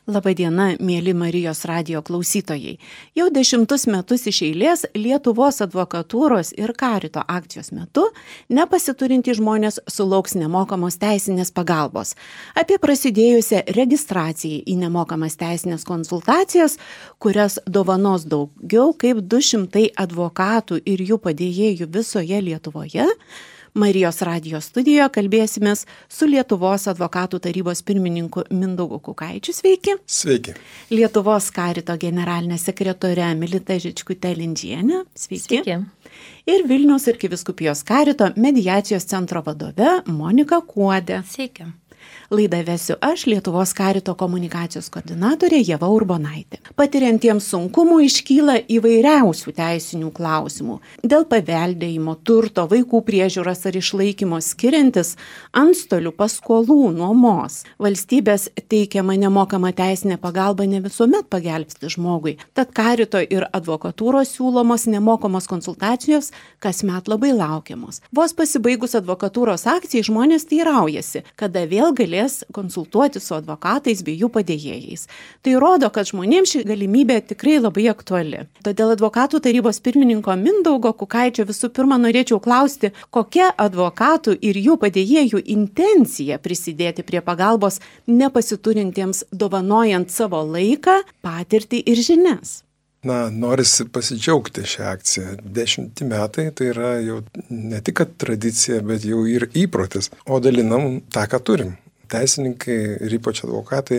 Labadiena, mėly Marijos radijo klausytojai. Jau 10 metus iš eilės Lietuvos advokatūros ir Karito akcijos metu nepasiturintys žmonės sulauks nemokamos teisinės pagalbos. Apie prasidėjusią registraciją į nemokamas teisinės konsultacijas, kurias dovanos daugiau kaip 200 advokatų ir jų padėjėjų visoje Lietuvoje, Marijos radijo studijoje kalbėsimės su Lietuvos advokatų tarybos pirmininku Mindaugu Kukaičiu. Sveiki. Sveiki. Lietuvos Karito generalinė sekretorė Milita Žičkutė-Lindžienė. Sveiki. Sveiki. Ir Vilniaus arkivyskupijos Karito mediacijos centro vadove Monika Kuodė. Sveiki. Laidą vesiu aš, Lietuvos Karito komunikacijos koordinatorė Ieva Urbonaitė. Patiriantiems sunkumų iškyla įvairiausių teisinių klausimų. Dėl paveldėjimo, turto, vaikų priežiūros ar išlaikymo skiriantis antstolių, paskolų, nuomos. Valstybės teikiama nemokama teisinė pagalba ne visuomet pagelbsti žmogui. Tad Karito ir advokatūros siūlomos nemokamos konsultacijos kasmet labai laukiamos. Vos pasibaigus advokatūros akcijai žmonės teiraujasi, kada vėl galės konsultuoti su advokatais bei jų padėjėjais. Tai rodo, kad žmonėms ši galimybė tikrai labai aktuali. Todėl advokatų tarybos pirmininko Mindaugo Kukaičio visų pirma norėčiau klausti, kokia advokatų ir jų padėjėjų intencija prisidėti prie pagalbos nepasiturintiems, dovanojant savo laiką, patirtį ir žinias. Norisi pasidžiaugti šią akciją. 10 metai tai yra jau ne tik tradicija, bet jau ir įprotis, o dalinam tą, ką turim. Teisininkai ir ypač advokatai,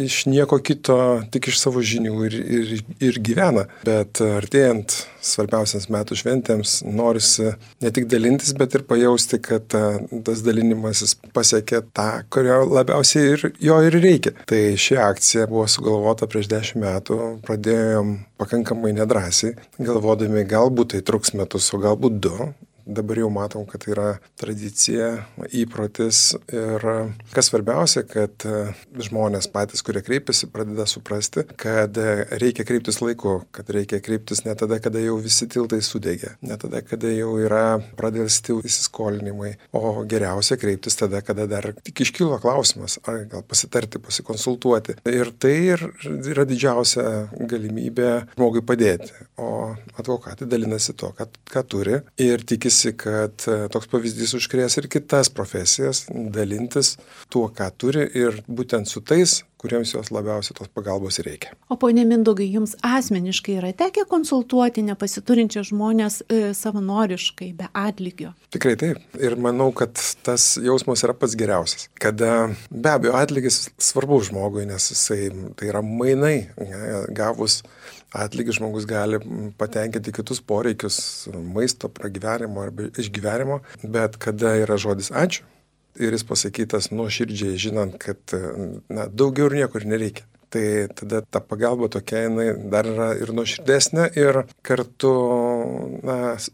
iš nieko kito, tik iš savo žinių ir gyvena. Bet artėjant svarbiausiams metų šventėms norisi ne tik dalintis, bet ir pajausti, kad tas dalinimasis pasiekia tą, kurio labiausiai jo ir reikia. Tai ši akcija buvo sugalvota prieš 10 metų, pradėjom pakankamai nedrąsiai, galvodami galbūt tai truks metus, o galbūt 2. Dabar jau matom, kad tai yra tradicija, įprotis ir kas svarbiausia, kad žmonės patys, kurie kreipiasi, pradeda suprasti, kad reikia kreiptis laiku, kad reikia kreiptis ne tada, kada jau visi tiltai sudegė, ne tada, kada jau yra pradėlsti įsiskolinimai, o geriausia kreiptis tada, kada dar tik iškilo klausimas, ar gal pasitarti, pasikonsultuoti. Ir tai yra didžiausia galimybė žmogui padėti, o advokatai dalinasi to, ką turi ir tikisi, kad toks pavyzdys užkrės ir kitas profesijas, dalintis tuo, ką turi ir būtent su tais, kuriems jos labiausiai tos pagalbos reikia. O ponia Mindaugai, jums asmeniškai yra tekę konsultuoti nepasiturinčius žmonės savanoriškai, be atlygio? Tikrai taip. Ir manau, kad tas jausmas yra pats geriausias. Kada be abejo atlygis svarbu žmogui, nes tai yra mainai. Gavus atlygį žmogus gali patenkinti kitus poreikius maisto, pragyvenimo arba išgyvenimo, bet kada yra žodis ačiū ir jis pasakytas nuoširdžiai, žinant, kad daugiau ir niekur nereikia. Tai tada ta pagalba tokia, jinai dar yra ir nuoširdesnė ir kartu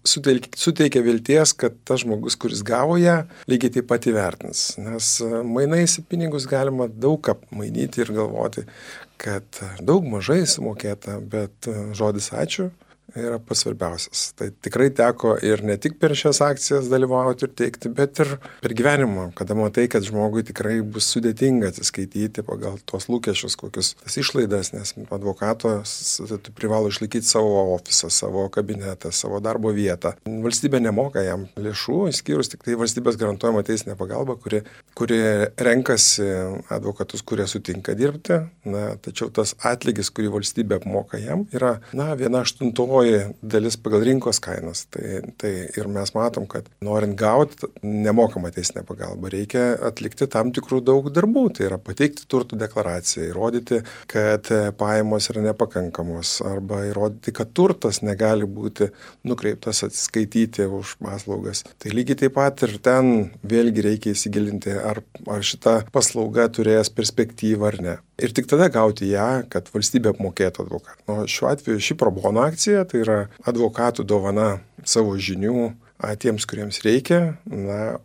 suteikia vilties, kad tas žmogus, kuris gavo ją, lygiai taip pat įvertins. Nes mainais į pinigus galima daug ką mainyti ir galvoti, kad daug mažai sumokėta, bet žodis ačiū yra pats svarbiausias. Tai tikrai teko ir ne tik per šias akcijas dalyvauti ir teikti, bet ir per gyvenimą, kada matai, kad žmogui tikrai bus sudėtinga atsiskaityti pagal tuos lūkesčius, kokius tas išlaidas, nes advokatas privalo išlaikyti savo ofisą, savo kabinetą, savo darbo vietą. Valstybė nemoka jam lėšų, išskyrus tik tai valstybės garantuojama teisinė pagalba, kuri renkasi advokatus, kurie sutinka dirbti, tačiau tas atlygis, kurį valstybė apmoka jam, yra 1/8 dalis pagal rinkos kainas. Tai ir mes matom, kad norint gauti nemokamą teisinę pagalbą, reikia atlikti tam tikrų daug darbų. Tai yra pateikti turtų deklaraciją, įrodyti, kad pajamos yra nepakankamos arba įrodyti, kad turtas negali būti nukreiptas atsiskaityti už paslaugas. Tai lygiai taip pat ir ten vėlgi reikia įsigilinti, ar šita paslauga turės perspektyvą ar ne. Ir tik tada gauti ją, kad valstybė apmokėtų advokatą. Šiuo atveju ši pro bono akcija tai yra advokatų dovana savo žinių tiems, kuriems reikia,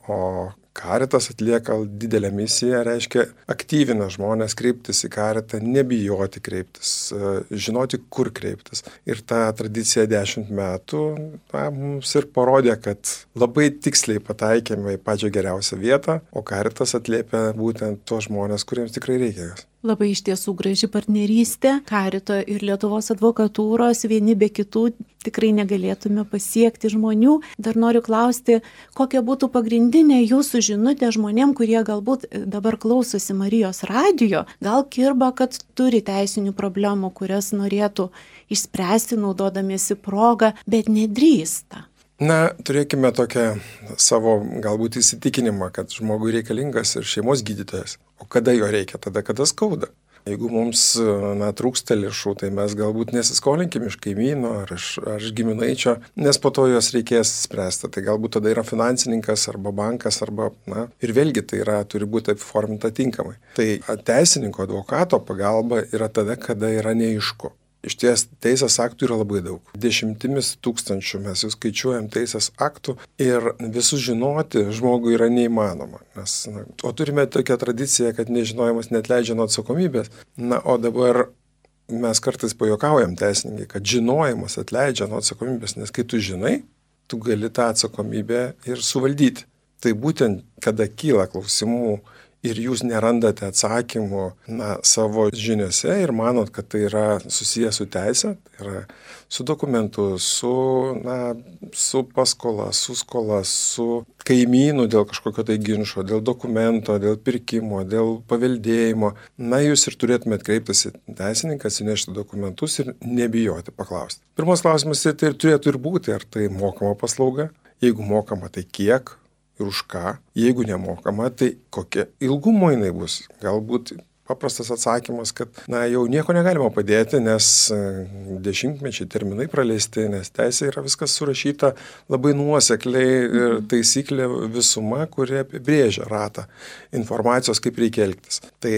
o Caritas atlieka didelę misiją, reiškia aktyvina žmonės kreiptis į Caritą, nebijoti kreiptis, žinoti, kur kreiptis. Ir ta tradicija 10 metų mums ir parodė, kad labai tiksliai pataikėme į pačią geriausią vietą, o Caritas atliepia būtent tos žmonės, kuriems tikrai reikia jos. Labai iš tiesų graži partnerystė. Carito ir Lietuvos advokatūros vieni be kitų tikrai negalėtume pasiekti žmonių. Dar noriu klausti, kokia būtų pagrindinė jūsų žinutė žmonėm, kurie galbūt dabar klausosi Marijos radijo, gal kirba, kad turi teisinių problemų, kurias norėtų išspręsti naudodamiesi progą, bet nedrįsta. Turėkime tokią savo galbūt įsitikinimą, kad žmogui reikalingas ir šeimos gydytojas. O kada jo reikia? Tada, kada skauda. Jeigu mums trūksta lėšų, tai mes galbūt nesiskolinkim iš kaimyno ar iš giminaičio, nes po to jos reikės spręsti. Tai galbūt tada yra finansininkas arba bankas ir vėlgi tai turi būti apiforminta tinkamai. Tai teisininko, advokato pagalba yra tada, kada yra neaišku. Iš ties teisės aktų yra labai daug. 10 tūkstančių mes jau skaičiuojam teisės aktų ir visus žinoti žmogui yra neįmanoma. O turime tokią tradiciją, kad nežinojimas neatleidžia nuo atsakomybės. O dabar mes kartais pajuokaujam teisininkai, kad žinojimas atleidžia nuo atsakomybės, nes kai tu žinai, tu gali tą atsakomybę ir suvaldyti. Tai būtent, kada kyla klausimų ir jūs nerandate atsakymų savo žiniuose ir manot, kad tai yra susijęs su teise, tai yra su dokumentu, su paskola, su skola, su kaimynu dėl kažkokio tai ginčo, dėl dokumento, dėl pirkimo, dėl paveldėjimo. Jūs ir turėtumėte kreiptis į teisininką, atsinešti dokumentus ir nebijoti paklausti. Pirmas klausimas tai turėtų ir būti, ar tai mokama paslauga, jeigu mokama, tai kiek ir už ką, jeigu nemokama, tai kokia ilgumo jinai bus. Galbūt paprastas atsakymas, kad jau nieko negalima padėti, nes 10-mečiai terminai praleisti, nes teisė yra viskas surašyta labai nuosekliai ir taisyklė visuma, kuri apibrėžia ratą informacijos, kaip reikia elgtis. Tai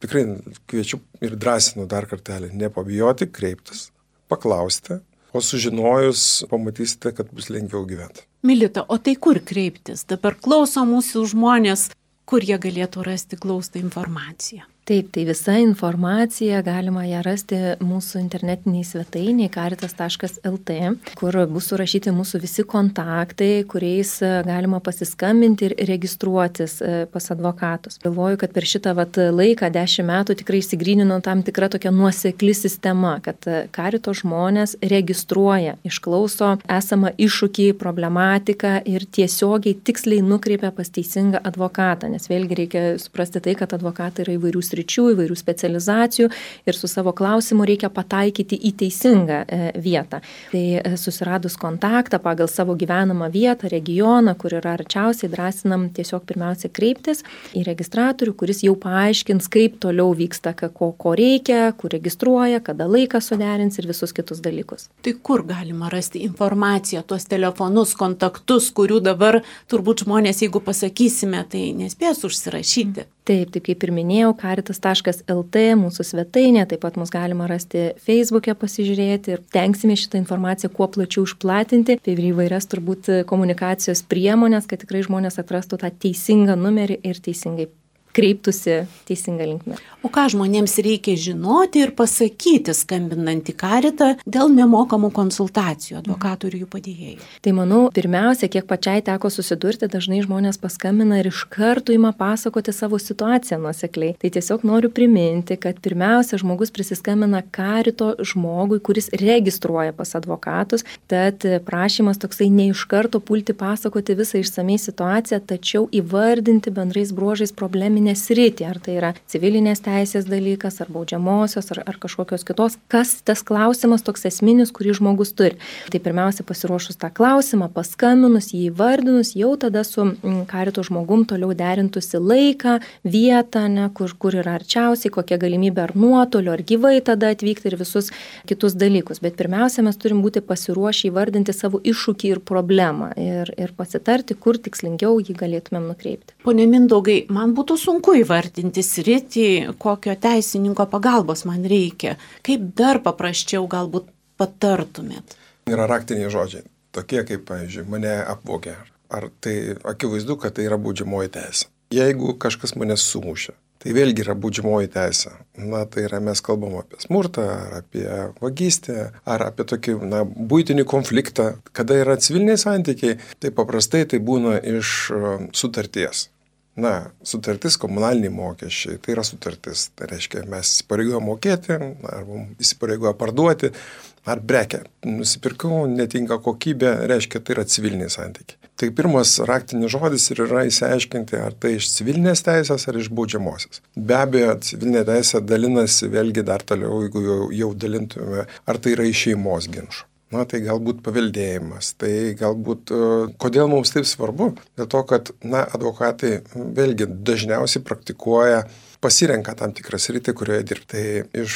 tikrai kviečiu ir drąsinu dar kartelį, nepabijoti, kreiptis, paklausti, o sužinojus pamatysite, kad bus lengviau gyventi. Milita, o tai kur kreiptis? Dabar klauso mūsų žmonės, kur jie galėtų rasti glaustą informaciją. Taip, tai visa informacija galima ją rasti mūsų internetiniai svetainiai caritas.lt, kur bus surašyti mūsų visi kontaktai, kuriais galima pasiskambinti ir registruotis pas advokatus. Galvoju, kad per šitą laiką 10 metų tikrai išsigrynino tam tikra tokia nuosekli sistema, kad Carito žmonės registruoja, išklauso esamą iššūkį, problematiką ir tiesiogiai tiksliai nukreipia pas teisingą advokatą, nes vėlgi reikia suprasti tai, kad advokatai yra įvairių sričių, įvairių specializacijų ir su savo klausimu reikia pataikyti į teisingą vietą. Tai susiradus kontaktą pagal savo gyvenamą vietą, regioną, kur yra arčiausiai, drąsinam tiesiog pirmiausia kreiptis į registratorių, kuris jau paaiškins, kaip toliau vyksta, ko reikia, kur registruoja, kada laiką suderins ir visus kitus dalykus. Tai kur galima rasti informaciją, tuos telefonus, kontaktus, kurių dabar turbūt žmonės, jeigu pasakysime, tai nespės užsirašyti? Taip, kaip ir minėjau, caritas.lt mūsų svetainė, taip pat mus galima rasti Facebook'e pasižiūrėti ir tenksime šitą informaciją kuo plačiau išplatinti, apie įvairias turbūt komunikacijos priemonės, kad tikrai žmonės atrastų tą teisingą numerį ir teisingai kreiptųsi teisingą linkmę. O ką žmonėms reikia žinoti ir pasakyti, skambinant į Caritą dėl nemokamų konsultacijų advokatų ir jų padėjėjų? Tai manau, pirmiausia, kiek pačiai teko susidurti, dažnai žmonės paskambina ir iš karto ima pasakoti savo situaciją nuosekliai. Tai tiesiog noriu priminti, kad pirmiausia, žmogus prisiskambina Carito žmogui, kuris registruoja pas advokatus, tad prašymas toksai ne iš karto pulti pasakoti visą išsamei situaciją, tačiau įvardinti bendrais bruožais probleminį sritį, ar tai yra civilinės teisės dalykas, ar baudžiamosios, ar kažkokios kitos, kas tas klausimas toks esminis, kurį žmogus turi. Tai pirmiausia, pasiruošus tą klausimą, paskambinus, jį įvardinus, jau tada su Carito žmogum toliau derintusi laiką, vietą, kur yra arčiausiai, kokia galimybė ar nuotoliu, ar gyvai tada atvykti ir visus kitus dalykus. Bet pirmiausia, mes turim būti pasiruošę įvardinti savo iššūkį ir problemą ir pasitarti, kur tikslingiau jį galėtumėm nukreipti. Pone Mindaugai, man būtų sunku įvardinti sritį, kokio teisininko pagalbos man reikia. Kaip dar paprasčiau galbūt patartumėt? Yra raktiniai žodžiai, tokie kaip, pavyzdžiui, mane apvogė, ar tai akivaizdu, kad tai yra baudžiamoji teisė. Jeigu kažkas mane sumušė, tai vėlgi yra baudžiamoji teisė. Tai yra mes kalbam apie smurtą, ar apie vagystę, ar apie tokį buitinį konfliktą. Kada yra civiliniai santykiai, tai paprastai tai būna iš sutarties. Sutartis, komunaliniai mokesčiai, tai yra sutartis. Tai reiškia, mes įsipareigojame mokėti, ar įsipareigoja parduoti, ar prekę. Nusipirkau, netinka kokybė, reiškia, tai yra civiliniai santykiai. Tai pirmas raktinis žodis ir yra įsiaiškinti, ar tai iš civilinės teisės, ar iš baudžiamosios. Be abejo, civilinė teisė dalinasi vėlgi dar toliau, jeigu jau dalintume, ar tai yra iš šeimos ginčų. Tai galbūt paveldėjimas, tai galbūt, kodėl mums taip svarbu? Dėl to, kad, advokatai vėlgi dažniausiai praktikuoja, pasirenka tam tikrą sritį, kurioje dirbti. Tai iš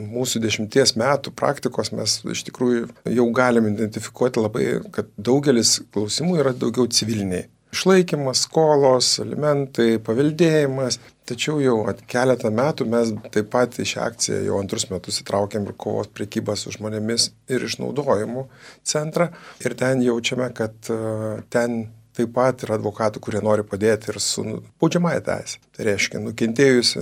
mūsų 10 metų praktikos mes iš tikrųjų jau galim identifikuoti labai, kad daugelis klausimų yra daugiau civiliniai. Išlaikymas, skolos, alimentai, paveldėjimas. Tačiau jau keletą metų mes taip pat į šią akciją jau 2 metus įtraukėm ir kovos prekybą su žmonėmis ir išnaudojimu centrą. Ir ten jaučiame, kad ten taip pat yra advokatų, kurie nori padėti ir su baudžiamąja teise. Tai reiškia, nukentėjusi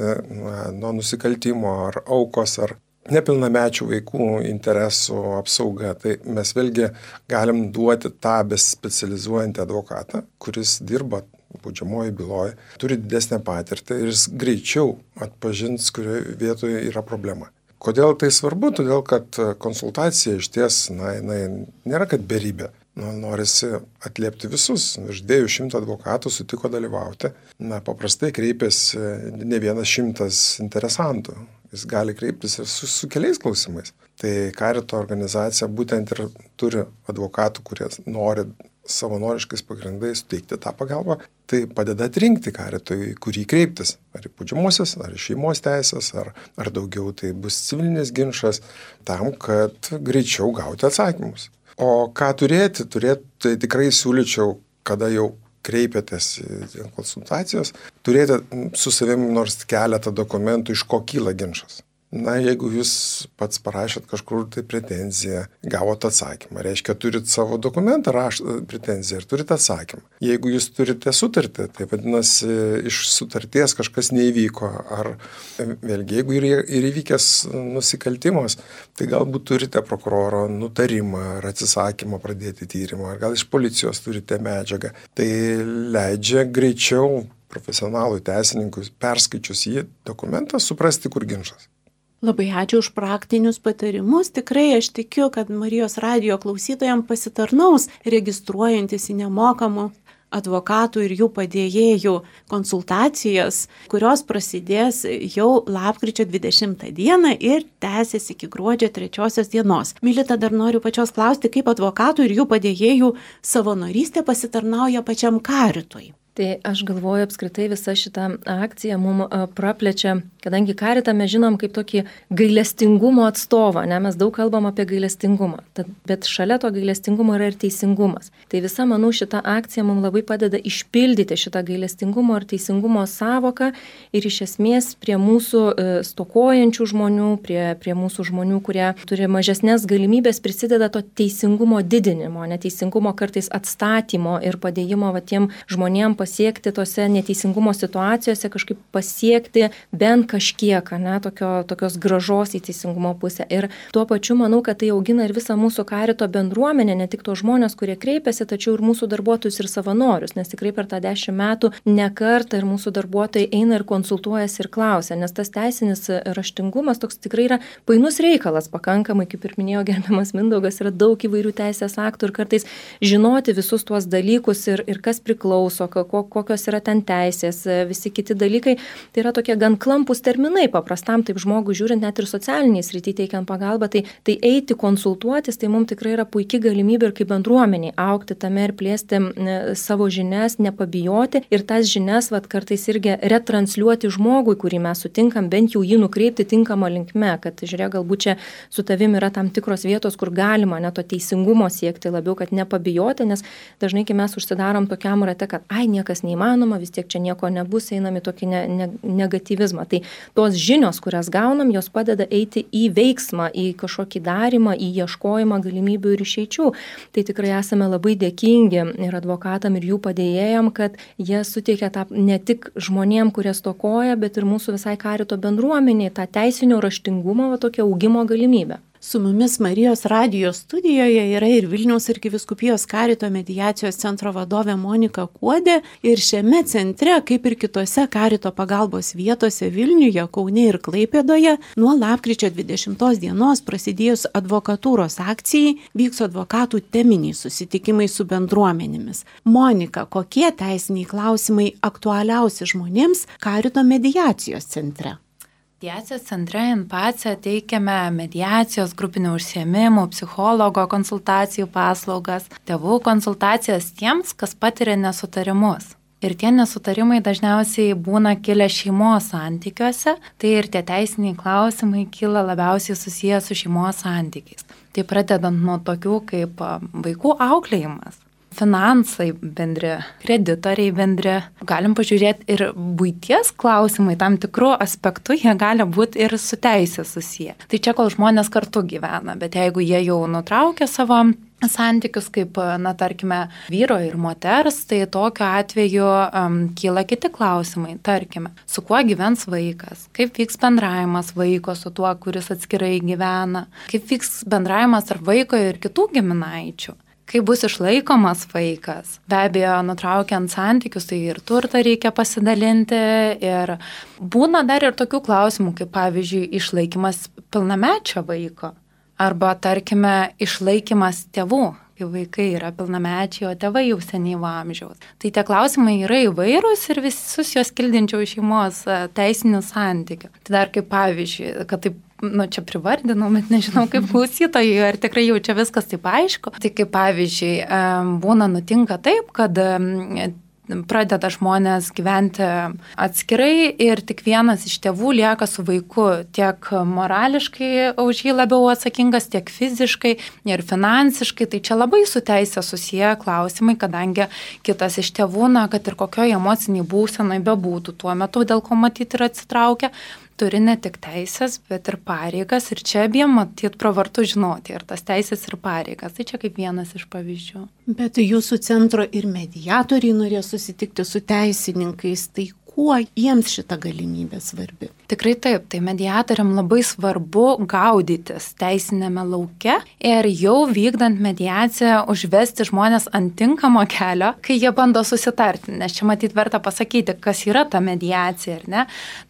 nuo nusikaltimo ar aukos ar nepilnamečių vaikų interesų apsauga. Tai mes vėlgi galim duoti tą bespecializuojantį advokatą, kuris dirba baudžiamoji byloje, turi didesnę patirtį ir jis greičiau atpažins, kurioje vietoje yra problema. Kodėl tai svarbu? Todėl, kad konsultacija iš ties, nėra kad beribė. Norisi atliepti visus. Virš 200 advokatų sutiko dalyvauti. Paprastai kreipiasi ne 100 interesantų. Jis gali kreiptis ir su keliais klausimais. Tai Karito organizacija būtent ir turi advokatų, kurie nori savanoriškais pagrindais suteikti tą pagalbą. Tai padeda atrinkti Karitui, kurį kreiptis. Ar į baudžiamosios, ar į šeimos teisės, ar daugiau tai bus civilinis ginčas, tam, kad greičiau gauti atsakymus. O ką turėti, tai tikrai siūlyčiau, kada jau kreipiatės į konsultacijos, turėti su savimi nors keletą dokumentų, iš ko kyla ginčas. Jeigu jūs pats parašėt kažkur tai pretenziją, gavot atsakymą, reiškia, turit savo dokumentą, pretenziją ir turit atsakymą. Jeigu jūs turite sutartį, tai vadinasi, iš sutarties kažkas neįvyko, ar vėlgi, jeigu ir įvykęs nusikaltimas, tai galbūt turite prokuroro nutarimą ar atsisakymą pradėti tyrimą, ar gal iš policijos turite medžiagą. Tai leidžia greičiau profesionalui teisininkui perskaičius jį dokumentą suprasti, kur ginčas. Labai ačiū už praktinius patarimus. Tikrai aš tikiu, kad Marijos radijo klausytojams pasitarnaus registruojantis į nemokamų advokatų ir jų padėjėjų konsultacijas, kurios prasidės jau lapkričio 20 dieną ir tęsis iki gruodžio 3 dienos. Milita, dar noriu pačios klausti, kaip advokatų ir jų padėjėjų savanorystė pasitarnauja pačiam Karitui. Tai aš galvoju, apskritai visa šita akcija mums praplečia, kadangi Karitą mes žinom kaip tokį gailestingumo atstovą, mes daug kalbam apie gailestingumą, bet šalia to gailestingumo yra ir teisingumas. Tai visa, manau, šita akcija mums labai padeda išpildyti šitą gailestingumo ir teisingumo sąvoką ir iš esmės prie mūsų stokojančių žmonių, prie mūsų žmonių, kurie turi mažesnės galimybės, prisideda to teisingumo didinimo, neteisingumo kartais atstatymo ir padėjimo tiem žmonėm pasiekti tose neteisingumo situacijose, kažkaip pasiekti bent kažkiek, tokios gražos į teisingumo pusę. Ir tuo pačiu manau, kad tai augina ir visą mūsų Karito bendruomenę, ne tik tos žmonės, kurie kreipiasi, tačiau ir mūsų darbuotojus ir savanorius, nes tikrai per tą 10 metų ne kartą ir mūsų darbuotojai eina ir konsultuojasi ir klausia, nes tas teisinis raštingumas toks tikrai yra painus reikalas pakankamai, kaip ir minėjo gerbiamas Mindaugas, yra daug įvairių teisės aktų ir kartais žinoti visus tuos dalykus ir kas priklauso, kokios yra ten teisės, visi kiti dalykai, tai yra tokie gan klampus terminai paprastam, taip žmogui žiūrint, net ir socialiniai srity teikiant pagalbą, tai eiti konsultuotis, tai mums tikrai yra puikia galimybė ir kaip bendruomeniai augti tame ir plėsti savo žinias, nepabijoti ir tas žinias kartais irgi retransliuoti žmogui, kurį mes sutinkam, bent jau jį nukreipti tinkamą linkme, kad žiūrėk, galbūt čia su tavim yra tam tikros vietos, kur galima to teisingumo siekti labiau, kad nepabijoti, nes dažnai, kai mes užsidarom tokiam rate, kad niekas neįmanoma, vis tiek čia nieko nebus, einam į tokį negatyvizmą. Tai tos žinios, kurias gaunam, jos padeda eiti į veiksmą, į kažkokį darimą, į ieškojimą galimybių ir išeičių. Tai tikrai esame labai dėkingi ir advokatam, ir jų padėjėjam, kad jie suteikia tą ne tik žmonėm, kurie stokoja, bet ir mūsų visai karito bendruomeniai, tą teisinio raštingumo, tokią augimo galimybę. Su mumis Marijos radijo studijoje yra ir Vilniaus arkivyskupijos karito mediacijos centro vadovė Monika Kuodė. Ir šiame centre, kaip ir kitose karito pagalbos vietose Vilniuje, Kaune ir Klaipėdoje, nuo lapkričio 20 dienos prasidėjus advokatūros akcijai vyks advokatų teminiai susitikimai su bendruomenėmis. Monika, kokie teisiniai klausimai aktualiausi žmonėms karito mediacijos centre? Mediacijos centre InPace teikiame mediacijos, grupinių užsiėmimų, psichologo konsultacijų paslaugas, tėvų konsultacijas tiems, kas patiria nesutarimus. Ir tie nesutarimai dažniausiai būna kilę šeimos santykiuose, tai ir tie teisiniai klausimai kyla labiausiai susiję su šeimos santykiais. Tai pradedant nuo tokių kaip vaikų auklėjimas, finansai bendri, kreditoriai bendri. Galim pažiūrėti ir buities klausimai, tam tikrų aspektų jie gali būti ir su teisė susiję. Tai čia kol žmonės kartu gyvena, bet jeigu jie jau nutraukia savo santykius kaip, tarkime, vyro ir moters, tai tokiu atveju kyla kiti klausimai. Tarkime, su kuo gyvens vaikas, kaip vyks bendravimas vaiko su tuo, kuris atskirai gyvena, kaip vyks bendravimas tarp vaiko ir kitų giminaičių. Kaip bus išlaikomas vaikas. Be abejo, nutraukiant santykius, tai ir turtą reikia pasidalinti. Ir būna dar ir tokių klausimų, kaip pavyzdžiui, išlaikymas pilnamečio vaiko. Arba, tarkime, išlaikymas tėvų, kai vaikai yra pilnamečiai, o tėvai jau senyvo amžiaus. Tai tie klausimai yra įvairūs ir visus juos kildinčiau šeimos teisinių santykių. Tai dar kaip pavyzdžiui, kad taip, čia privardinau, bet nežinau kaip klausytojai, ar tikrai jau čia viskas taip aišku. Tai kaip pavyzdžiui, nutinka taip, kad pradeda žmonės gyventi atskirai ir tik vienas iš tėvų lieka su vaiku tiek morališkai už jį labiau atsakingas, tiek fiziškai ir finansiškai. Tai čia labai su teisė susiję klausimai, kadangi kitas iš tėvų, kad ir kokioje emociniai būsenai bebūtų tuo metu, dėl ko matyti ir atsitraukia, turi ne tik teisės, bet ir pareigas. Ir čia abiem matyt pravartu žinoti ir tas teisės ir pareigas. Tai čia kaip vienas iš pavyzdžių. Bet jūsų centro ir mediatoriai norėjo susitikti su teisininkais. Tai kuo jiems šita galimybė svarbi? Tikrai taip, tai mediatoriam labai svarbu gaudytis teisinėme lauke ir jau vykdant mediaciją užvesti žmonės ant tinkamo kelio, kai jie bando susitarti. Nes čia matyt verta pasakyti, kas yra ta mediacija, ar ne?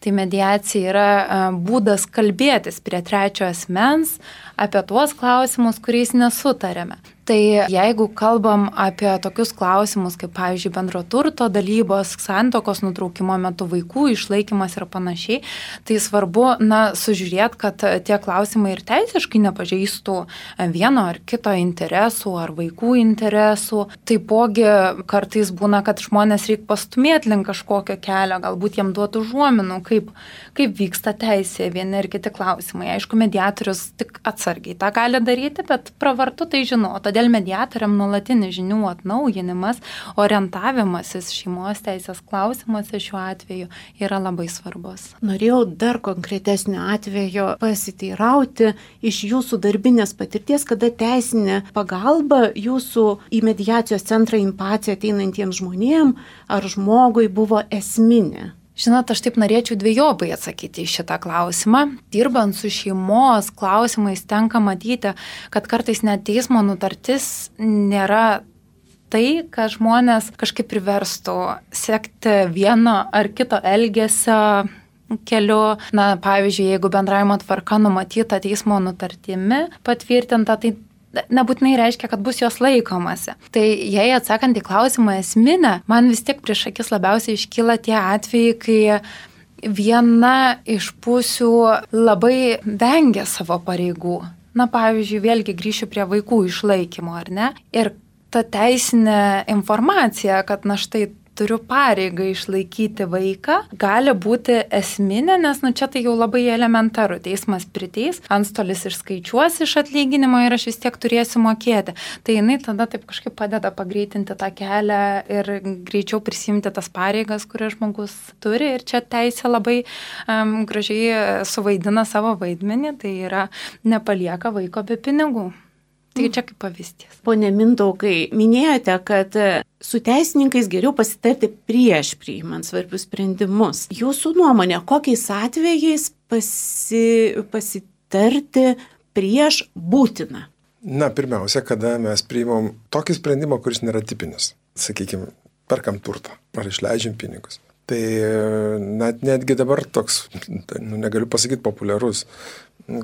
Tai mediacija yra būdas kalbėtis prie trečio asmens apie tuos klausimus, kuriais nesutarėme. Tai jeigu kalbam apie tokius klausimus, kaip pavyzdžiui bendro turto dalybos, santuokos nutraukimo metu, vaikų išlaikymas ir panašiai, tai svarbu sužiūrėti, kad tie klausimai ir teisiškai nepažeistų vieno ar kito interesų ar vaikų interesų. Taipogi kartais būna, kad žmonės reikia pastumėti link kažkokio kelio, galbūt jiem duotų užuominų, kaip vyksta teisė, vieni ir kiti klausimai. Aišku, mediatorius tik atsargiai tą gali daryti, bet pravartu tai žinoti. Todėl mediatoriam nuolatinis žinių atnaujinimas, orientavimasis šeimos teisės klausimuose šiuo atveju yra labai svarbus. Norėjau dar konkretesnio atvejo pasiteirauti iš jūsų darbinės patirties, kada teisinė pagalba jūsų į mediacijos centrą InPace ateinantiems žmonėms ar žmogui buvo esminė. Žinot, aš taip norėčiau dvejopai atsakyti į šitą klausimą. Dirbant su šeimos klausimais tenka matyti, kad kartais net teismo nutartis nėra tai, kad žmonės kažkaip priverstų sekti vieno ar kito elgesio keliu. Pavyzdžiui, jeigu bendravimo tvarka numatyta teismo nutartimi patvirtinta, tai nebūtinai reiškia, kad bus jos laikomasi. Tai jei atsakant į klausimą esminę, man vis tiek prieš akis labiausiai iškyla tie atvejai, kai viena iš pusių labai vengia savo pareigų. Pavyzdžiui, vėlgi grįšiu prie vaikų išlaikymo, ar ne? Ir ta teisinė informacija, kad štai turiu pareigą išlaikyti vaiką, gali būti esminė, nes čia tai jau labai elementaru. Teismas priteis, antstolis išskaičiuos iš atlyginimo ir aš vis tiek turėsiu mokėti. Tai jinai tada taip kažkaip padeda pagreitinti tą kelią ir greičiau prisimti tas pareigas, kurias žmogus turi. Ir čia teisė labai gražiai suvaidina savo vaidmenį, tai yra nepalieka vaiko be pinigų. Tai čia kaip pavyzdys. Pone Mindaugai, minėjote, kad su teisininkais geriau pasitarti prieš priimant svarbius sprendimus. Jūsų nuomonė, kokiais atvejais pasitarti prieš būtina? Na, pirmiausia, kada mes priimam tokį sprendimą, kuris nėra tipinis. Sakykime, perkam turtą ar išleidžiam pinigus. Tai netgi dabar toks, negaliu pasakyti populiarus,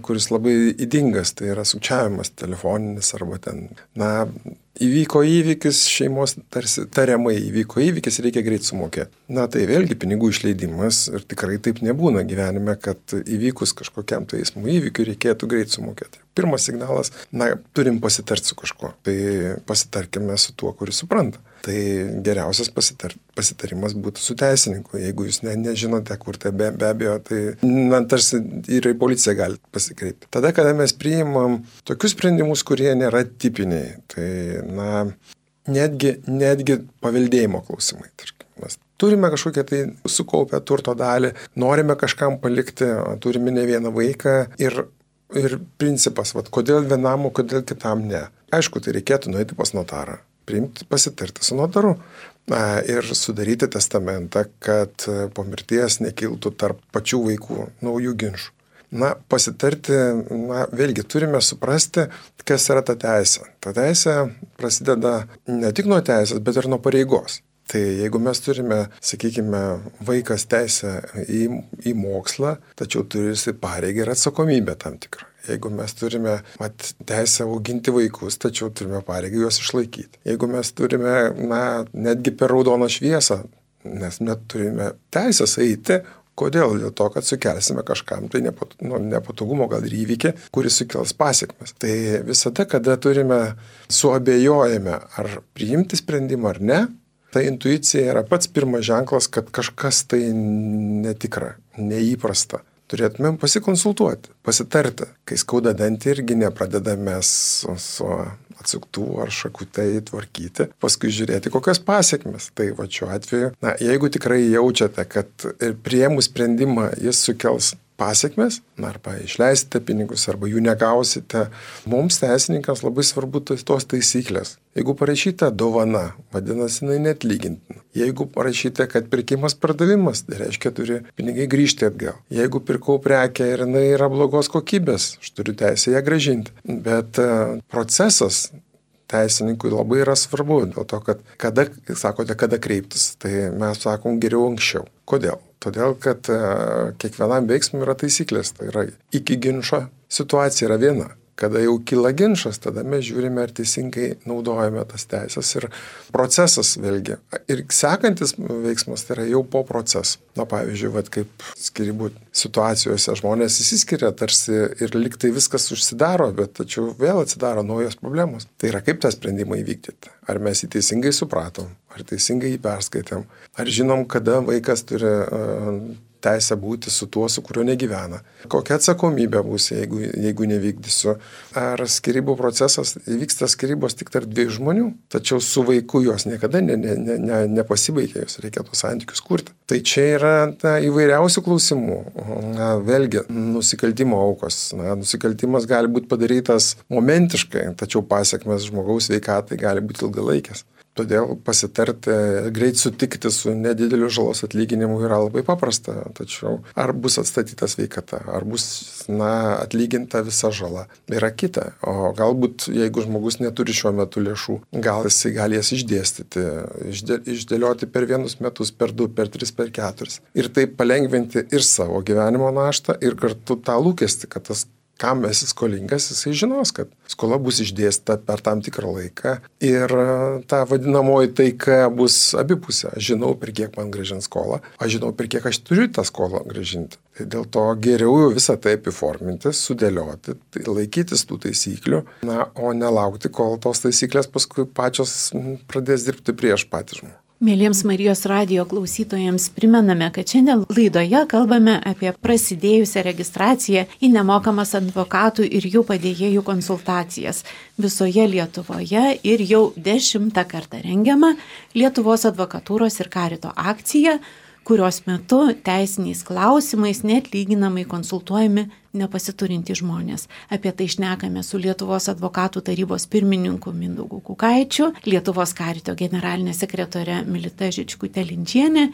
kuris labai ydingas, tai yra sukčiavimas telefoninis arba ten, įvyko įvykis, šeimos tarsi tariamai įvyko įvykis, reikia greit sumokėti. Tai vėlgi pinigų išleidimas ir tikrai taip nebūna gyvenime, kad įvykus kažkokiam tai eismo įvykiui reikėtų greit sumokėti. Pirmas signalas, turim pasitarti su kažkuo, tai pasitarkime su tuo, kuris supranta. Tai geriausias pasitarimas būtų su teisininku. Jeigu jūs nežinote, kur tai be abejo, tai tarsi ir į policiją galite pasikreipti. Tada, kada mes priimam tokius sprendimus, kurie nėra tipiniai, tai netgi paveldėjimo klausimai. Tarkim, mes turime kažkokią tai sukaupę turto dalį, norime kažkam palikti, turime ne vieną vaiką ir principas, kodėl vienam, o kodėl kitam ne. Aišku, tai reikėtų nueiti pas notarą, pasitarti su notaru ir sudaryti testamentą, kad po mirties nekiltų tarp pačių vaikų naujų ginčų. Pasitarti, vėlgi turime suprasti, kas yra ta teisė. Ta teisė prasideda ne tik nuo teisės, bet ir nuo pareigos. Tai jeigu mes turime, sakykime, vaikas teisę į mokslą, tačiau turi pareigą ir atsakomybę tam tikrą. Jeigu mes turime teisę auginti vaikus, tačiau turime pareigą juos išlaikyti. Jeigu mes turime, netgi per raudoną šviesą, nes net turime teisės eiti, kodėl? Dėl to, kad sukelsime kažkam tai nepatogumo, gal ir įvykį, kuris sukels pasekmes. Tai visada, kada suabejojame, ar priimti sprendimą ar ne, ta intuicija yra pats pirmas ženklas, kad kažkas tai netikra, neįprasta. Turėtumėm pasikonsultuoti, pasitarti. Kai skauda dantį, irgi nepradedame su atsuktų ar šakutai tvarkyti, paskui žiūrėti, kokios pasekmes. Tai šiuo atveju, jeigu tikrai jaučiate, kad priėmus sprendimą jis sukels pasekmes, arba išleisite pinigus, arba jų negausite, mums teisininkams labai svarbu tos taisyklės. Jeigu parašyta dovana, vadinasi, jinai neatlygintina. Jeigu parašyta, kad pirkimas pardavimas, tai reiškia, turi pinigai grįžti atgal. Jeigu pirkau prekę ir jinai yra blogos kokybės, aš turiu teisę ją grąžinti. Bet procesas teisininkui labai yra svarbu, dėl to, kad kada kreiptis, tai mes sakom geriau anksčiau. Kodėl? Todėl, kad kiekvienam veiksmui yra taisyklės, tai yra iki ginčo situacija yra viena. Kada jau kyla ginčas, tada mes žiūrime, ar teisingai naudojame tas teisės ir procesas vėlgi. Ir sekantis veiksmas tai yra jau po proceso. Pavyzdžiui, kaip skyrybų situacijose žmonės įsiskiria tarsi ir liktai viskas užsidaro, bet tačiau vėl atsidaro naujos problemos. Tai yra kaip tą sprendimą įvykdyti. Ar mes jį teisingai supratom, ar teisingai jį perskaitėm, ar žinom, kada vaikas turi teisę būti su tuo, su kuriuo negyvena. Kokia atsakomybė bus, jeigu nevykdysiu. Ar skyrybų procesas vyksta skyrybos tik tarp dviejų žmonių, tačiau su vaiku jos niekada nepasibaigia, jos reikia tos santykius kurti. Tai čia yra įvairiausių klausimų. Vėlgi, nusikaltimo aukos. Nusikaltimas gali būti padarytas momentiškai, tačiau pasekmes žmogaus sveikatai gali būti ilgalaikės. Todėl pasitarti, greit sutikti su nedideliu žalos atlyginimu yra labai paprasta. Tačiau ar bus atstatyta sveikata, ar bus atlyginta visa žala, yra kita. O galbūt, jeigu žmogus neturi šiuo metu lėšų, gal jisai gali jas išdėstyti, išdėlioti per 1 metus, per 2, per 3, per 4. Ir taip palengventi ir savo gyvenimo naštą, ir kartu tą lūkestį, kad tas kam esi skolingas, jisai žinos, kad skola bus išdėstyta per tam tikrą laiką ir ta vadinamoji taika bus abipusė. Aš žinau, per kiek man grąžins skolą, aš žinau, per kiek aš turiu tą skolą grąžinti. Tai dėl to geriau jau visą tai apiforminti, sudėlioti, laikytis tų taisyklių, o nelaukti, kol tos taisyklės paskui pačios pradės dirbti prieš patį žmogų. Mėlyms Marijos radijo klausytojams primename, kad šiandien laidoje kalbame apie prasidėjusią registraciją į nemokamas advokatų ir jų padėjėjų konsultacijas visoje Lietuvoje ir jau 10 kartą rengiama Lietuvos advokatūros ir karito akcija, kurios metu teisiniais klausimais neatlyginamai konsultuojami nepasiturintys žmonės. Apie tai šnekame su Lietuvos advokatų tarybos pirmininku Mindaugu Kukaičiu, Lietuvos karito generalinė sekretorė Milita Žičkutė-Linčienė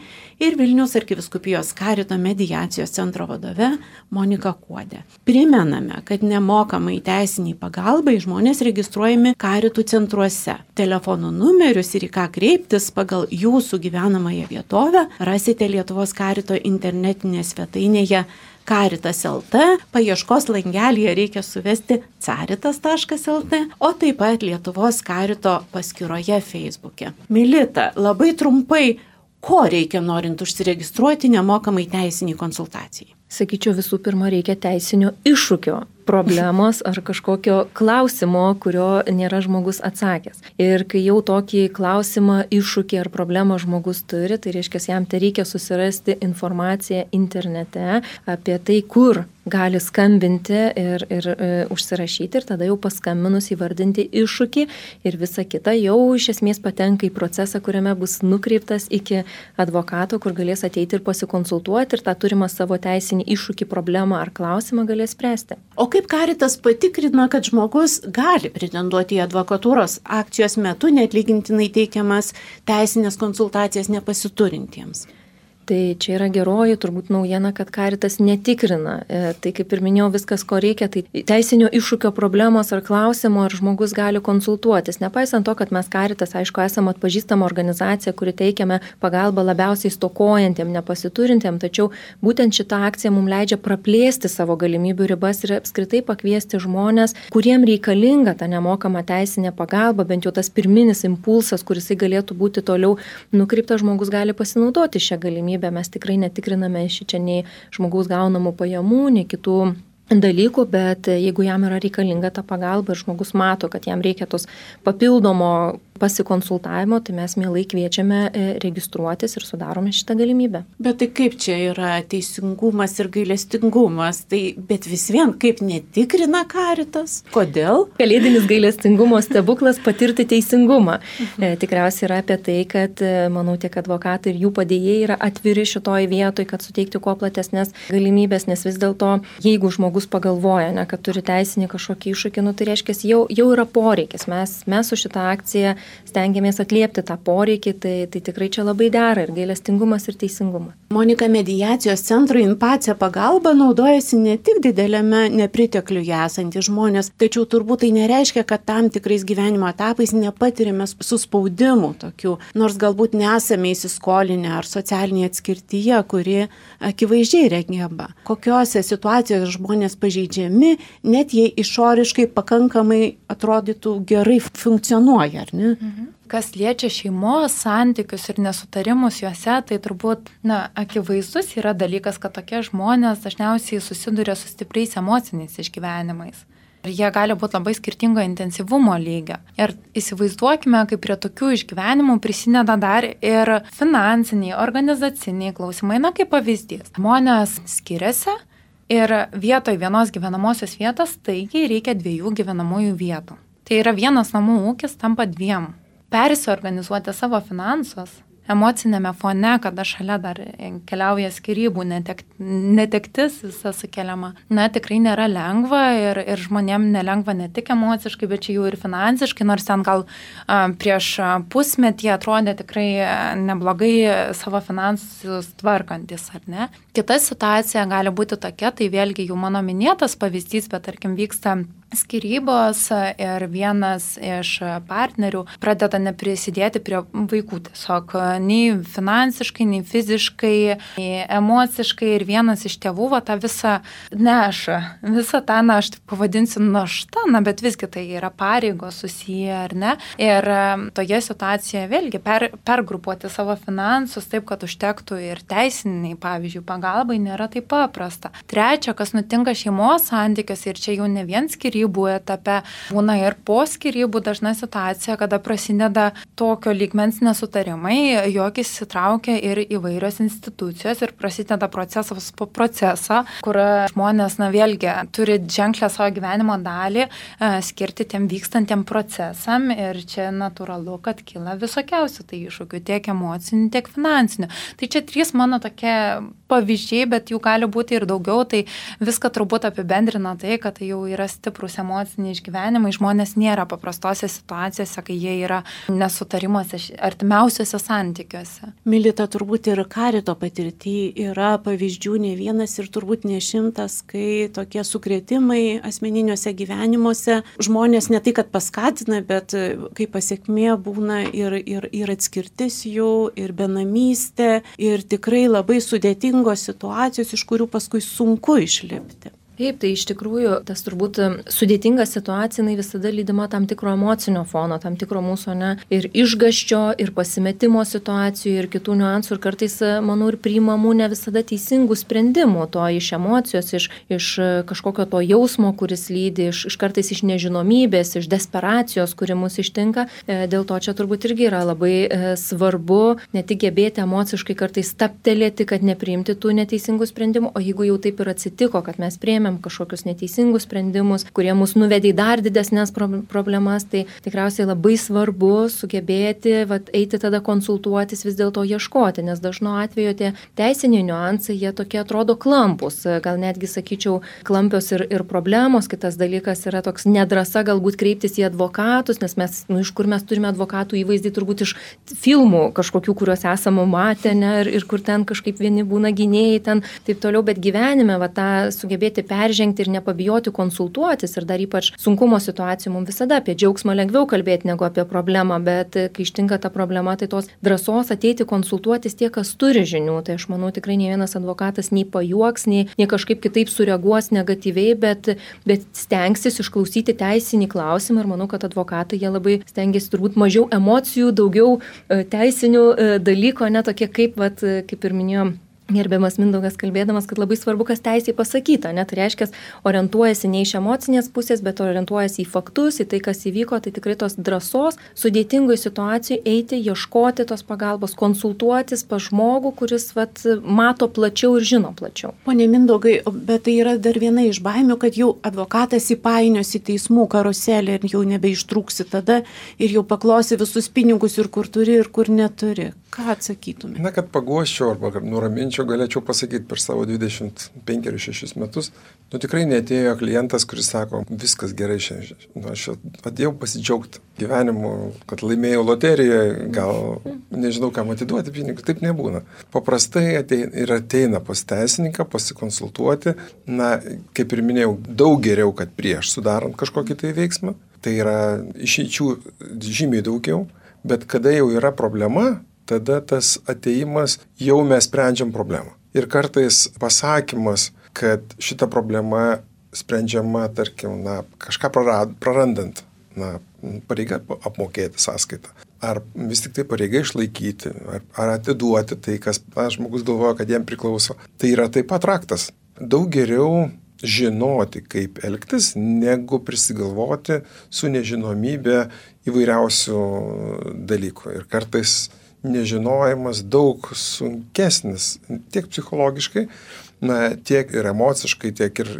ir Vilniaus arkivyskupijos karito mediacijos centro vadove Monika Kuodė. Primename, kad nemokamai teisiniai pagalbai žmonės registruojami karitų centruose. Telefonų numerius ir į ką kreiptis pagal jūsų gyvenamąją vietovę rasite Lietuvos karito internetinėje svetainėje Caritas.lt, paieškos langelyje reikia suvesti caritas.lt, o taip pat Lietuvos karito paskyroje Facebook'e. Milita, labai trumpai, ko reikia norint užsiregistruoti nemokamai teisiniai konsultacijai? Sakyčiau, visų pirma, reikia teisinio iššūkio, problemos ar kažkokio klausimo, kurio nėra žmogus atsakęs. Ir kai jau tokį klausimą, iššūkį ar problemą žmogus turi, tai reiškia, jam tai reikia susirasti informaciją internete apie tai, kur gali skambinti ir užsirašyti ir tada jau paskambinus įvardinti iššūkį ir visa kita jau iš esmės patenka į procesą, kuriame bus nukreiptas iki advokato, kur galės ateiti ir pasikonsultuoti ir tą turimą savo teisinį iššūkį, problemą ar klausimą galės spręsti. O kaip Caritas patikrina, kad žmogus gali pretenduoti į advokatūros akcijos metu neatlygintinai teikiamas teisinės konsultacijas nepasiturintiems? Tai čia yra geroji turbūt naujiena, kad Caritas netikrina. Tai kaip ir minėjau, viskas, ko reikia, tai teisinio iššūkio problemos ar klausimo, ar žmogus gali konsultuotis. Nepaisant to, kad mes Caritas, aišku, esame atpažįstama organizacija, kuri teikiame pagalbą labiausiai stokojantiem, nepasiturintiem, tačiau būtent šita akcija mums leidžia praplėsti savo galimybių ribas ir apskritai pakviesti žmonės, kuriem reikalinga ta nemokama teisinė pagalba, bent jau tas pirminis impulsas, kuris galėtų būti toliau nukreiptas, žmogus gali pasinaudoti šią galimybę. Mes tikrai netikriname šičia nei žmogaus gaunamų pajamų, nei kitų dalykų, bet jeigu jam yra reikalinga ta pagalba ir žmogus mato, kad jam reikia tos papildomo pasikonsultavimo, tai mes mielai kviečiame registruotis ir sudarome šitą galimybę. Bet tai kaip čia yra teisingumas ir gailestingumas? Tai bet vis vien kaip netikrina Caritas? Kodėl? Kalėdinis gailestingumo stebuklas patirti teisingumą. Tikriausiai yra apie tai, kad, manau, tiek advokatai ir jų padėjėjai yra atviri šitoj vietoj, kad suteikti kuo platesnės galimybės, nes vis dėlto, jeigu žmogus pagalvoja, kad turi teisinį kažkokį iššūkį, tai reiškia, jau yra poreikis. Mes su šitą akciją stengiamės atliepti tą poreikį, tai tikrai čia labai dera ir gailestingumas ir teisingumas. Monika, mediacijos centro InPace pagalba naudojasi ne tik didelėme nepritekliuje esantys žmonės, tačiau turbūt tai nereiškia, kad tam tikrais gyvenimo etapais nepatirime suspaudimų tokių, nors galbūt nesame įsiskolinę ar socialinėje atskirtyje, kuri akivaizdžiai regėba. Kokiose situacijose žmonės pažeidžiami, net jei išoriškai pakankamai atrodytų gerai funkcionuoja, ar ne? Kas liečia šeimos santykius ir nesutarimus juose, tai turbūt, akivaizdus yra dalykas, kad tokie žmonės dažniausiai susiduria su stipriais emociniais išgyvenimais. Ir jie gali būti labai skirtingo intensyvumo lygio. Ir įsivaizduokime, kaip prie tokių išgyvenimų prisideda dar ir finansiniai, organizaciniai klausimai, kaip pavyzdys. Žmonės skiriasi ir vietoj vienos gyvenamosios vietos staigiai reikia 2 gyvenamųjų vietų. Tai yra vienas namų ūkis tampa 2. Persiorganizuoti savo finansus emocinėme fone, kada šalia dar keliauja skyrybų, netektis visa sukeliama. Tikrai nėra lengva ir žmonėm nelengva ne tik emociškai, bet čia jau ir finansiškai, nors ten gal prieš pusmetį atrodė tikrai neblogai savo finansus tvarkantis, ar ne? Kita situacija gali būti tokia, tai vėlgi jau mano minėtas pavyzdys, bet tarkim vyksta skyrybos ir vienas iš partnerių pradeda neprisidėti prie vaikų tiesiog nei finansiškai, nei fiziškai, nei emociškai ir vienas iš tėvų tą visą neša. Visą tą, aš taip pavadinsiu naštą, bet visgi tai yra pareigos susiję, ar ne? Ir toje situacijoje vėlgi pergrupuoti savo finansus taip, kad užtektų ir teisiniai, pavyzdžiui, pagalbai nėra taip paprasta. Trečia, kas nutinka šeimos santykiuose ir čia jau ne vien skyrybos skyrybų etape. Būna ir po skyrybų dažna situacija, kada prasideda tokio lygmens nesutarimai, jog įsitraukia ir įvairios institucijos ir prasideda procesas po proceso, kur žmonės, vėlgi, turi ženklę savo gyvenimo dalį skirti tiem vykstantiem procesam ir čia natūralu, kad kyla visokiausių tai iššūkių, tiek emocinių, tiek finansinių. Tai čia 3 mano tokie pavyzdžiai, bet jų gali būti ir daugiau, tai viską turbūt apibendrina tai, kad tai jau yra stiprus emociniai išgyvenimai, žmonės nėra paprastose situacijose, kai jie yra nesutarimuose artimiausiuose santykiuose. Milita, turbūt ir karito patirtyje yra pavyzdžių ne vienas ir turbūt ne 100, kai tokie sukrėtimai asmeniniuose gyvenimuose žmonės ne tai, kad paskatina, bet kaip pasiekmė būna ir atskirtis jų, ir benamystė, ir tikrai labai sudėtingos situacijos, iš kurių paskui sunku išlipti. Taip, tai iš tikrųjų tas turbūt sudėtinga situacija, jinai visada lydima tam tikro emocinio fono, tam tikro mūsų ir išgąsčio, ir pasimetimo situacijų, ir kitų niuansų, ir kartais, manau, ir priimamų ne visada teisingų sprendimų, to iš emocijos, iš kažkokio to jausmo, kuris lydi, iš kartais iš nežinomybės, iš desperacijos, kuri mus ištinka. Dėl to čia turbūt irgi yra labai svarbu ne tik gebėti emociškai kartais stabtelėti, kad nepriimti tų neteisingų sprendimų, o jeigu jau taip ir atsitiko, kad mes priėmėm kažkokius neteisingus sprendimus, kurie mus nuvedė į dar didesnės problemas, tai tikriausiai labai svarbu sugebėti eiti tada konsultuotis, vis dėlto ieškoti, nes dažnu atveju tie teisiniai niuansai, jie tokie atrodo klampus, gal netgi sakyčiau klampios ir problemos. Kitas dalykas yra toks nedrasa galbūt kreiptis į advokatus, nes mes, iš kur mes turime advokatų įvaizdį, turbūt iš filmų kažkokių, kuriuos esame matę, ir kur ten kažkaip vieni būna gynėjai, ten taip toliau, bet gyvenime tą sugebėti peržengti ir nepabijoti konsultuotis, ir dar ypač sunkumo situacijų mums visada apie džiaugsmą lengviau kalbėti negu apie problemą, bet kai ištinka ta problema, tai tos drąsos ateiti konsultuotis tie, kas turi žinių. Tai aš manau, tikrai ne vienas advokatas nei pajuoks, nei kažkaip kitaip sureaguos negatyviai, bet stengsis išklausyti teisinį klausimą, ir manau, kad advokatai jie labai stengiasi turbūt mažiau emocijų, daugiau teisinių dalykų, tokie kaip ir minėjom, gerbiamas Mindaugas kalbėdamas, kad labai svarbu, kas teisėj pasakyta, tai reiškia, orientuojasi ne iš emocinės pusės, bet orientuojasi į faktus, į tai, kas įvyko, tai tikrai tos drąsos sudėtingoje situacijoje eiti, ieškoti tos pagalbos, konsultuotis pas žmogų, kuris mato plačiau ir žino plačiau. Pone Mindaugai, bet tai yra dar viena iš baimių, kad jau advokatas įpainios į teismų karuselę ir jau nebeištrūksi tada ir jau paklosi visus pinigus ir kur turi, ir kur neturi. Ką atsakytume? Kad paguoščiau arba nuraminčiau, galėčiau pasakyti per savo 25-6 metus, tikrai neatėjo klientas, kuris sako, viskas gerai šiandien. Aš atėjau pasidžiaugti gyvenimu, kad laimėjau loterijoje, gal nežinau, kam atiduoti pinigus, taip nebūna. Paprastai ateina pas teisininką, pasikonsultuoti, kaip ir minėjau, daug geriau, kad prieš sudarant kažkokį tai veiksmą, tai yra išeičių žymiai daugiau, bet kada jau yra problema, tada tas ateimas jau mes sprendžiam problemą. Ir kartais pasakymas, kad šita problema sprendžiama, tarkim, kažką prarandant, pareiga apmokėti sąskaitą. Ar vis tik tai pareiga išlaikyti, ar atiduoti tai, kas žmogus galvoja, kad jam priklauso. Tai yra taip pat raktas. Daug geriau žinoti, kaip elgtis, negu prisigalvoti su nežinomybė įvairiausių dalykų. Ir kartais nežinojimas daug sunkesnis tiek psichologiškai, tiek ir emociškai, tiek ir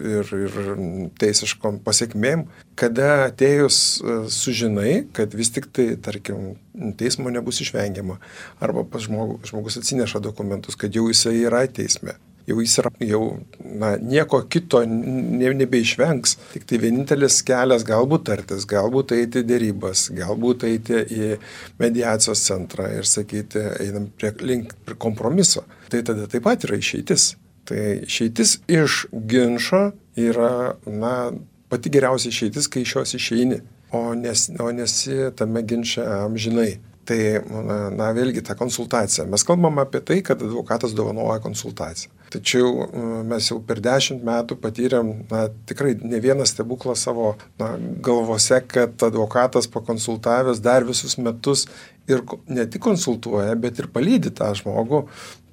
teisiškom pasiekmėm, kada atėjus sužinai, kad vis tik tai, tarkim, teismo nebus išvengiama, arba žmogus atsineša dokumentus, kad jau jisai yra teisme. Jau jis yra, nieko kito nebeišvengs. Tik tai vienintelis kelias galbūt tartis, galbūt eiti dėrybas, galbūt eiti į mediacijos centrą ir sakyti, einam link kompromiso. Tai tada taip pat yra išeitis. Tai išeitis iš ginčo yra, pati geriausia išeitis, kai iš jos išeini, o nesi tame ginče amžinai. Tai, vėlgi, ta konsultacija. Mes kalbam apie tai, kad advokatas dovanoja konsultaciją. Tačiau mes jau per 10 metų patyrėm, tikrai ne vieną stebuklą savo galvose, kad advokatas pakonsultavęs dar visus metus ir ne tik konsultuoja, bet ir palydi tą žmogų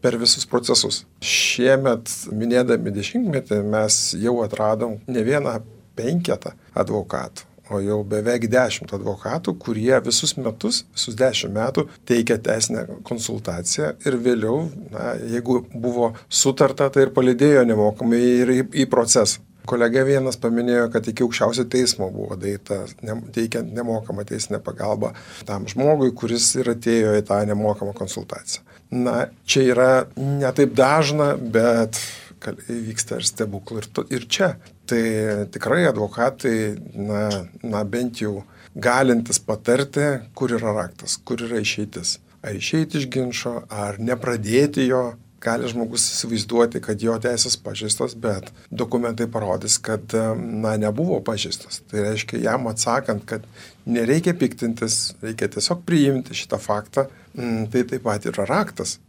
per visus procesus. Šiemet, minėdami 10-metį, mes jau atradom ne vieną 5 advokatų, o jau beveik 10 advokatų, kurie visus metus, visus 10 metų teikia teisinę konsultaciciją ir vėliau, jeigu buvo sutarta, tai ir palydėjo nemokamai ir į procesą. Kolega vienas paminėjo, kad iki aukščiausio teismo buvo daeita teikiant nemokamą teisinę pagalbą tam žmogui, kuris ir atėjo į tą nemokamą konsultaciją. Čia yra ne taip dažna, bet vyksta ir stebuklų ir čia. Tai tikrai advokatai, bent jau galintis patarti, kur yra raktas, kur yra išeitis. Ar išeiti iš ginčo, ar nepradėti jo. Gali žmogus įsivaizduoti, kad jo teisės pažeistos, bet dokumentai parodys, kad nebuvo pažeistos. Tai reiškia, jam atsakant, kad nereikia piktintis, reikia tiesiog priimti šitą faktą, tai taip pat yra raktas.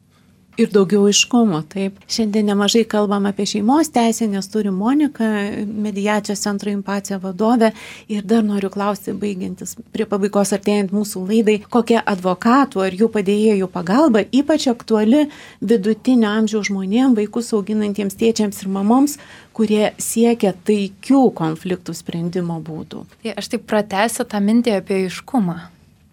Ir daugiau aiškumo, taip. Šiandien nemažai kalbam apie šeimos teisę, nes turim Moniką, mediacijos centro Impacija vadovė. Ir dar noriu klausti, baigiantis prie pabaigos artėjant mūsų laidai, kokia advokatų ar jų padėjėjų pagalba ypač aktuali vidutinio amžiaus žmonėms, vaikus auginantiems tėčiams ir mamoms, kurie siekia taikių konfliktų sprendimo būdų. Tai aš taip pratęsiu tą mintį apie aiškumą.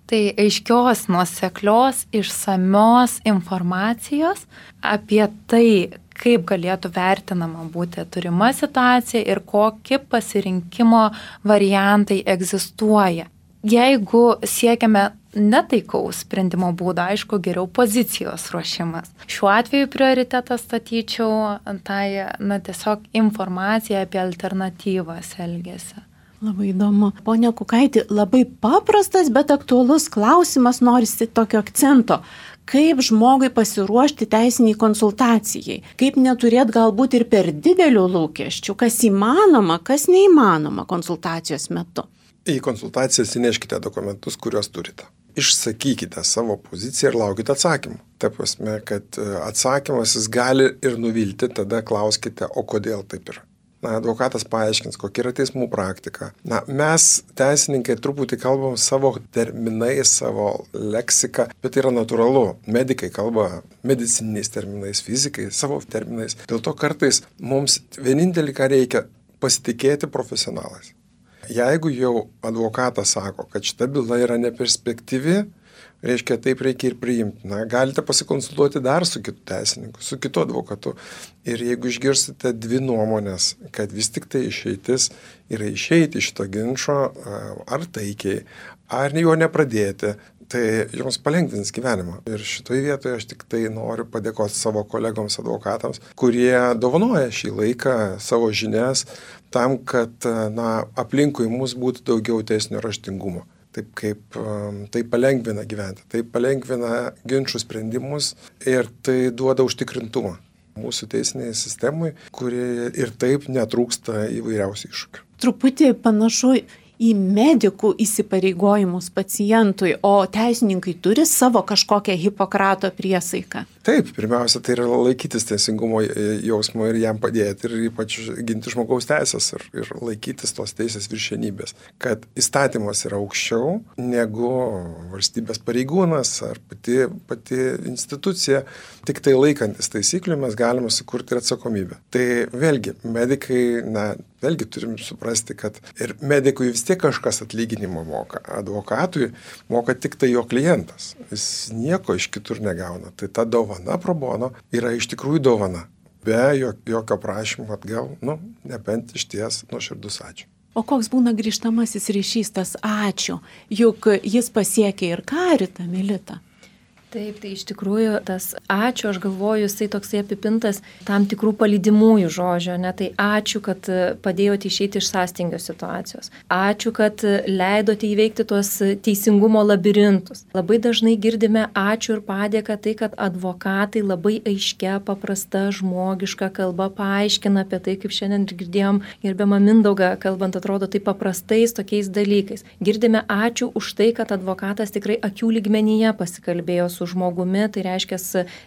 Tai aiškios, nuoseklios, išsamios informacijos apie tai, kaip galėtų vertinama būti turima situacija ir kokie pasirinkimo variantai egzistuoja. Jeigu siekiame netaikaus sprendimo būdo, aišku, geriau pozicijos ruošimas. Šiuo atveju prioritetą statyčiau tiesiog informaciją apie alternatyvas elgesio. Labai įdomu. Pone Kukaitį, labai paprastas, bet aktualus klausimas, norisi tokio akcento. Kaip žmogui pasiruošti teisiniai konsultacijai? Kaip neturėti galbūt ir per didelių lūkesčių? Kas įmanoma, kas neįmanoma konsultacijos metu? Į konsultacijas įneškite dokumentus, kuriuos turite. Išsakykite savo poziciją ir laukite atsakymų. Ta prasme, kad atsakymas jis gali ir nuvilti, tada klauskite, o kodėl taip yra. Advokatas paaiškins, kokia yra teismų praktika. Mes, teisininkai, truputį kalbam savo terminais, savo leksiką, bet tai yra natūralu. Medikai kalba medicininiais terminais, fizikai savo terminais. Dėl to kartais mums vienintelį, ką reikia, pasitikėti profesionalais. Jeigu jau advokatas sako, kad šita byla yra neperspektyvi, reiškia, taip reikia ir priimti. Galite pasikonsultuoti dar su kitu teisininku, su kitu advokatu. Ir jeigu išgirsite 2 nuomonės, kad vis tik tai išeitis yra išeiti iš šito ginčo, ar taikiai, ar jo nepradėti, tai jums palengvins gyvenimą. Ir šitoje vietoje aš tik tai noriu padėkoti savo kolegoms advokatams, kurie dovanoja šį laiką, savo žinias, tam, kad aplinkui mus būtų daugiau teisinio raštingumo. Taip kaip tai palengvina gyventi, tai palengvina ginčų sprendimus ir tai duoda užtikrintumą mūsų teisiniai sistemai, kuri ir taip netrūksta įvairiausių iššūkių. Truputį panašu į medikų įsipareigojimus pacientui, o teisininkai turi savo kažkokią Hipokrato priesaiką. Taip, pirmiausia, tai yra laikytis teisingumo jausmo ir jam padėti ir ypač ginti žmogaus teisės ir laikytis tos teisės viršenybės. Kad įstatymas yra aukščiau negu valstybės pareigūnas ar pati institucija, tik tai laikantis taisyklių mes galime sukurti ir atsakomybę. Tai vėlgi, medikai, vėlgi turim suprasti, kad ir medikui vis tiek kažkas atlyginimo moka. Advokatui moka tik tai jo klientas. Jis nieko iš kitur negauna. Tai ta dovana pro bono yra iš tikrųjų dovana. Be jokio prašymo atgal, nebent išties nuoširdus ačiū. O koks būna grįžtamasis ryšys tas ačiū? Juk jis pasiekia ir Karitą, Milita. Taip, tai iš tikrųjų tas ačiū, aš galvoju, jisai toksai apipintas tam tikrų palydimųjų žodžių, tai ačiū, kad padėjote išeiti iš sąstingio situacijos. Ačiū, kad leidote įveikti tuos teisingumo labirintus. Labai dažnai girdime ačiū ir padėką tai, kad advokatai labai aiškia, paprasta, žmogiška kalba paaiškina apie tai, kaip šiandien girdėjom gerbiamą Mindaugą, kalbant atrodo taip paprastais tokiais dalykais. Girdime ačiū už tai, kad advokatas tikrai akių lygmenyje pasikalbėjo su žmogumi, tai reiškia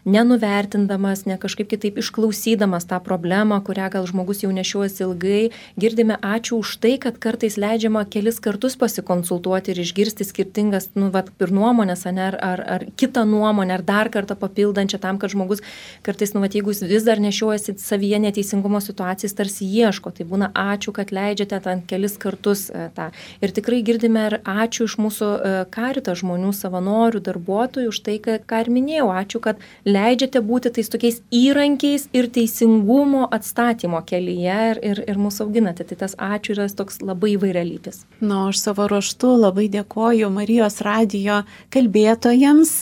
nenuvertindamas, ne kažkaip kitaip išklausydamas tą problemą, kurią gal žmogus jau nešiuosi ilgai. Girdime ačiū už tai, kad kartais leidžiama kelis kartus pasikonsultuoti ir išgirsti skirtingas, ir nuomonės, ar kitą nuomonę, ar dar kartą papildančią tam, kad žmogus kartais, jeigu jis vis dar nešiuojasi savyje neteisingumo situacijas, tarsi ieško. Tai būna ačiū, kad leidžiate ten kelis kartus tą. Ir tikrai girdime ir ačiū iš mūsų Karito žmonių, savanorių, darbuotojų už tai, ką ir minėjau. Ačiū, kad leidžiate būti tais tokiais įrankiais ir teisingumo atstatymo kelyje ir mūsų auginate. Tai tas ačiū yra toks labai įvairialypis. Aš savo ruožtu labai dėkoju Marijos radijo kalbėtojams.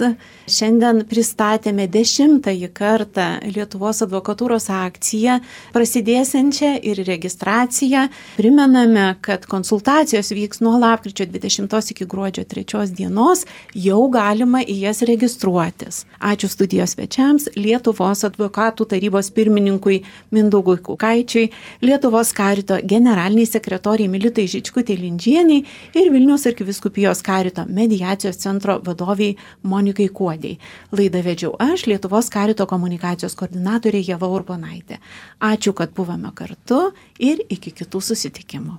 Šiandien pristatėme 10-ąjį kartą Lietuvos advokatūros akciją, prasidėsiančią ir registraciją. Primename, kad konsultacijos vyks nuo lapkričio 20 iki gruodžio 3 dienos, jau galima į jas registruotis. Ačiū studijos svečiams, Lietuvos advokatų tarybos pirmininkui Mindaugui Kukaičiui, Lietuvos Karito generaliniai sekretoriai Militai Žičkutei Lindžienei ir Vilniaus arkivyskupijos Karito mediacijos centro vadoviai Monikai Kuodei. Laidą vedžiau aš, Lietuvos Karito komunikacijos koordinatorė Ieva Urbonaitė. Ačiū, kad buvome kartu ir iki kitų susitikimų.